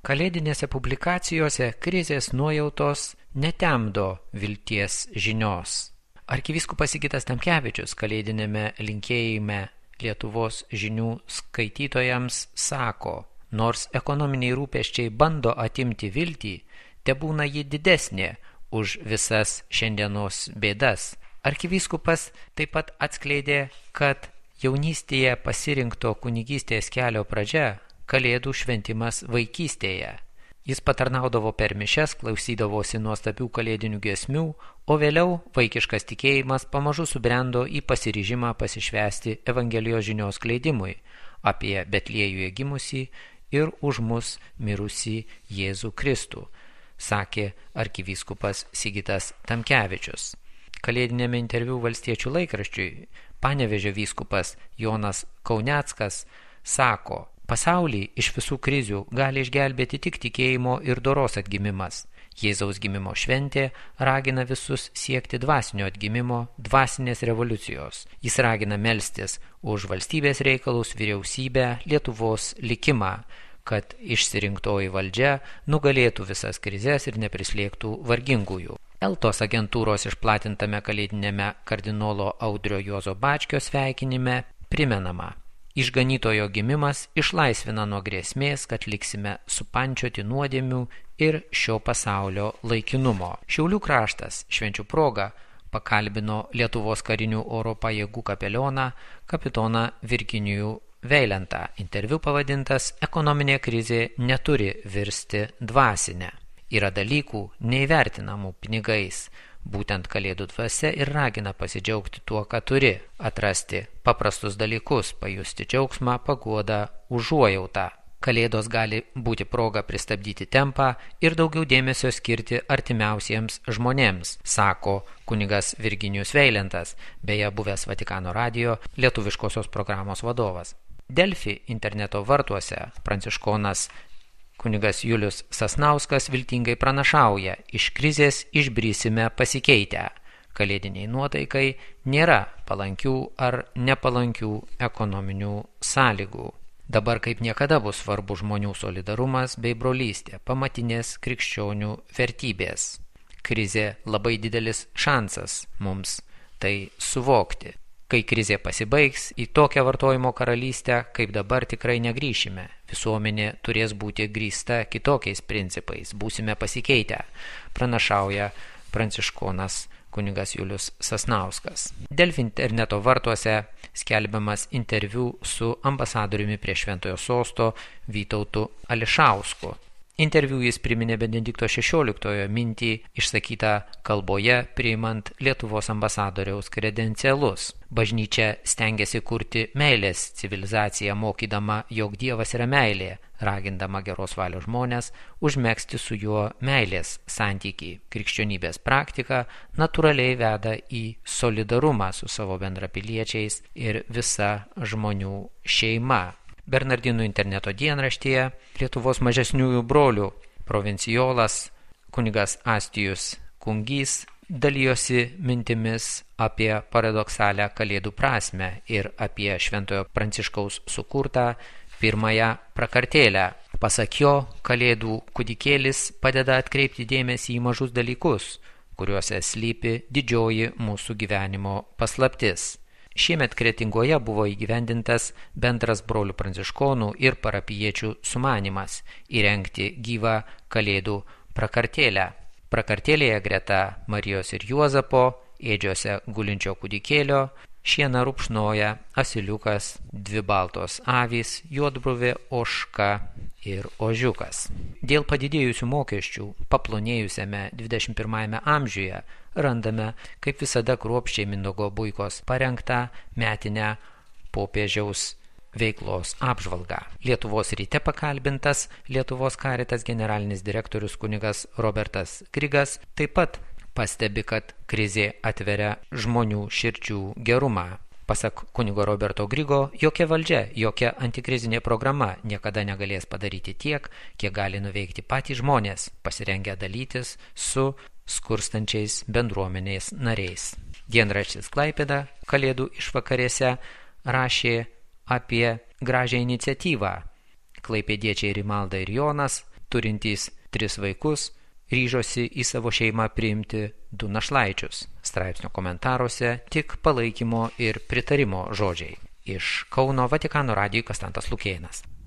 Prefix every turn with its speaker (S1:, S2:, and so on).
S1: Kalėdinėse publikacijose krizės nuojautos netemdo vilties žinios. Arkivyskupas Sigitas Tamkevičius kalėdinėme linkėjime Lietuvos žinių skaitytojams sako, nors ekonominiai rūpesčiai bando atimti viltį, tebūna ji didesnė už visas šiandienos bėdas. Arkivyskupas taip pat atskleidė, kad jaunystėje pasirinkto kunigystės kelio pradžia Kalėdų šventimas vaikystėje. Jis patarnaudavo per mišias, klausydavosi nuostabių kalėdinių giesmių, o vėliau vaikiškas tikėjimas pamažu subrendo į pasiryžimą pasišvęsti Evangelijos žinios skleidimui apie Betliejuje gimusį ir už mus mirusį Jėzų Kristų, sakė arkivyskupas Sigitas Tamkevičius. Kalėdinėme interviu Valstiečių laikraščiui Panevėžio vyskupas Jonas Kauneckas sako, pasaulį iš visų krizių gali išgelbėti tik tikėjimo ir doros atgimimas. Jėzaus gimimo šventė ragina visus siekti dvasinio atgimimo, dvasinės revoliucijos. Jis ragina melstis už valstybės reikalus, vyriausybę, Lietuvos likimą, kad išsirinktoji valdžia nugalėtų visas krizes ir neprislėgtų vargingųjų. Eltos agentūros išplatintame kalėdinėme kardinolo Audrio Juozo Bačkio sveikinime primenama. Išganytojo gimimas išlaisvina nuo grėsmės, kad liksime supančioti nuodėmių ir šio pasaulio laikinumo. Šiaulių kraštas švenčių proga pakalbino Lietuvos karinių oro pajėgų kapelioną kapitoną Virginijų Veilentą. Interviu pavadintas "Ekonominė krizė neturi virsti dvasinę. Yra dalykų neįvertinamų pinigais. Būtent Kalėdų dvasia ir ragina pasidžiaugti tuo, ką turi, atrasti paprastus dalykus, pajusti džiaugsmą, paguodą, užuojautą. Kalėdos gali būti proga pristabdyti tempą ir daugiau dėmesio skirti artimiausiems žmonėms, sako kunigas Virginijus Veilentas, beje buvęs Vatikano radijo lietuviškosios programos vadovas. Delfi interneto vartuose pranciškonas kunigas Julius Sasnauskas viltingai pranašauja, iš krizės išbrysime pasikeitę. Kalėdiniai nuotaikai nėra palankių ar nepalankių ekonominių sąlygų. Dabar kaip niekada bus svarbu žmonių solidarumas bei brolystė, pamatinės krikščionių vertybės. Krizė labai didelis šansas mums tai suvokti. Kai krizė pasibaigs, į tokią vartojimo karalystę, kaip dabar tikrai negrįšime. Visuomenė turės būti grįsta kitokiais principais, būsime pasikeitę, pranašauja pranciškonas kunigas Julius Sasnauskas. Delfi interneto vartuose skelbiamas interviu su ambasadoriumi prie Šventojo sosto Vytautu Ališausku. Interviu jis priminė Benedikto XVI mintį išsakytą kalboje priimant Lietuvos ambasadoriaus kredencialus. Bažnyčia stengiasi kurti meilės civilizaciją, mokydama, jog Dievas yra meilė, ragindama geros valios žmonės užmegzti su juo meilės santykį. Krikščionybės praktika natūraliai veda į solidarumą su savo bendrapiliečiais ir visa žmonių šeima. Bernardinų interneto dienraštyje Lietuvos mažesniųjų brolių provincijolas kunigas Astijus Kungys dalijosi mintimis apie paradoksalią Kalėdų prasmę ir apie Šventojo Pranciškaus sukurtą pirmąją prakartėlę. Pasak jo, Kalėdų kūdikėlis padeda atkreipti dėmesį į mažus dalykus, kuriuose slypi didžioji mūsų gyvenimo paslaptis. Šiemet Kretingoje buvo įgyvendintas bendras brolių pranciškonų ir parapijiečių sumanymas įrengti gyvą Kalėdų prakartėlę. Prakartėlėje greta Marijos ir Juozapo, ėdžiose gulinčio kūdikėlio, šieną rupšnoja asiliukas, 2 baltos avys, juodbruvė, ožka ir ožiukas. Dėl padidėjusių mokesčių paplonėjusiame 21 amžiuje randame, kaip visada kruopščiai Mindaugo Buikos parengtą metinę popiežiaus veiklos apžvalgą. Lietuvos ryte pakalbintas Lietuvos Caritas generalinis direktorius kunigas Robertas Grigas taip pat pastebi, kad krizė atveria žmonių širdžių gerumą. Pasak kunigo Roberto Grigo, jokia valdžia, jokia antikrizinė programa niekada negalės padaryti tiek, kiek gali nuveikti patys žmonės, pasirengę dalytis su skurstančiais bendruomenės nariais. Dienraštis Klaipėda Kalėdų išvakarėse rašė apie gražią iniciatyvą. Klaipėdiečiai Rimalda ir Jonas turintys 3 vaikus, ryžosi į savo šeimą priimti 2 našlaičius. Straipsnio komentaruose tik palaikymo ir pritarimo žodžiai. Iš Kauno Vatikano radijui Konstantas Lukėnas.